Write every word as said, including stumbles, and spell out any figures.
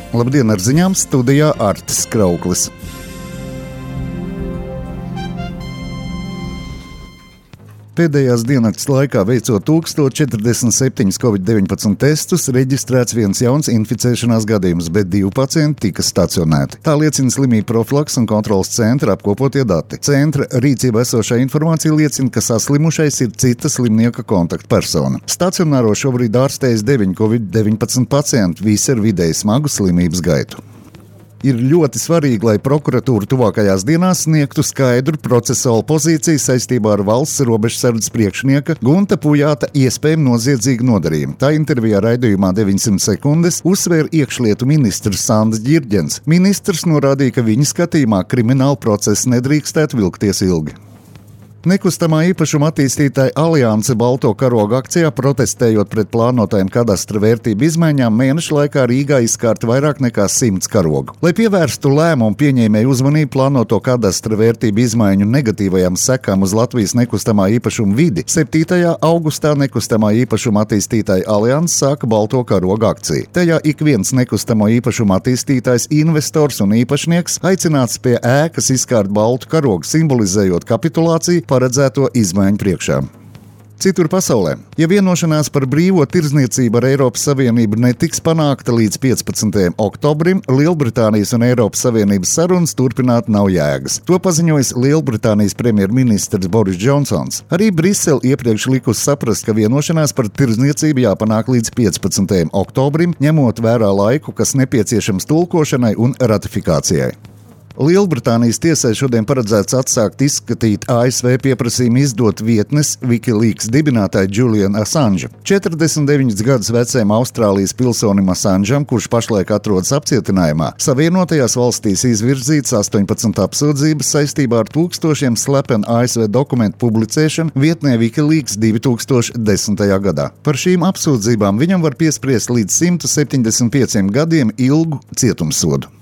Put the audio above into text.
Labdien, ar ziņām studijā Artis Krauklis. Pēdējās diennakts laikā veicot tūkstoš četrdesmit septiņus covid deviņpadsmit testus, reģistrēts viens jauns inficēšanās gadījums, bet divi pacienti tika stacionēti. Tā liecina slimību profilakses un kontrolas centra apkopotie dati. Centra rīcībā esošā informācija liecina, ka saslimušais ir cita slimnieka kontaktpersona. Stacionāro šobrīd ārstējas deviņi covid deviņpadsmit pacienti, visi ar vidēji smagu slimības gaitu. Ir ļoti svarīgi, lai prokuratūra tuvākajās dienās sniegtu skaidru procesuālu pozīciju saistībā ar valsts robežsardzes priekšnieka Gunta Pujāta iespējamu noziedzīgu nodarījumu. Tā intervijā raidījumā deviņsimt sekundes uzsvēra iekšlietu ministrs Sandrs Ģirģens. Ministrs norādīja, ka viņa skatījumā krimināla procesa nedrīkstētu vilkties ilgi. Nekustamā īpašuma attīstītāja Alianse Balto karogu akcijā, protestējot pret plānotajām kadastra vērtību izmaiņām, mēneša laikā Rīgā izkārta vairāk nekā simts karogu. Lai pievērstu lēmumu pieņēmēju uzmanību plānoto kadastra vērtību izmaiņu negatīvajām sekām uz Latvijas nekustamā īpašuma vidi, septītajā augustā nekustamā īpašuma attīstītāja Alianse sāka Balto karogu akciju. Tajā ik viens nekustamo īpašuma attīstītājs, investors un īpašnieks aicināts pie ēkas izkārt baltu karogu, simbolizējot kapitulāciju paredzēto izmaiņu priekšā. Citur pasaulē, ja vienošanās par brīvo tirdzniecību ar Eiropas Savienību netiks panākta līdz piecpadsmitajam oktobrim, Lielbritānijas un Eiropas Savienības sarunas turpināt nav jēgas. To paziņojis Lielbritānijas premjerministrs Boris Džonsons. Arī Brisele iepriekš likusi saprast, ka vienošanās par tirdzniecību jāpanāk līdz piecpadsmitajam oktobrim, ņemot vērā laiku, kas nepieciešams tulkošanai un ratifikācijai. Lielbritānijas tiesai šodien paredzēts atsākt izskatīt A S V pieprasījumu izdot vietnes Wikileaks dibinātāju Julianu Assange. četrdesmit deviņus gadus vecajam Austrālijas pilsonim Assangeam, kurš pašlaik atrodas apcietinājumā, Savienotajās valstīs izvirzīts astoņpadsmit apsūdzības saistībā ar tūkstošiem slepenu A S V dokumentu publicēšanu vietnē Wikileaks divi tūkstoši desmitajā gadā. Par šīm apsūdzībām viņam var piespriest līdz simt septiņdesmit pieciem gadiem ilgu cietumsodu.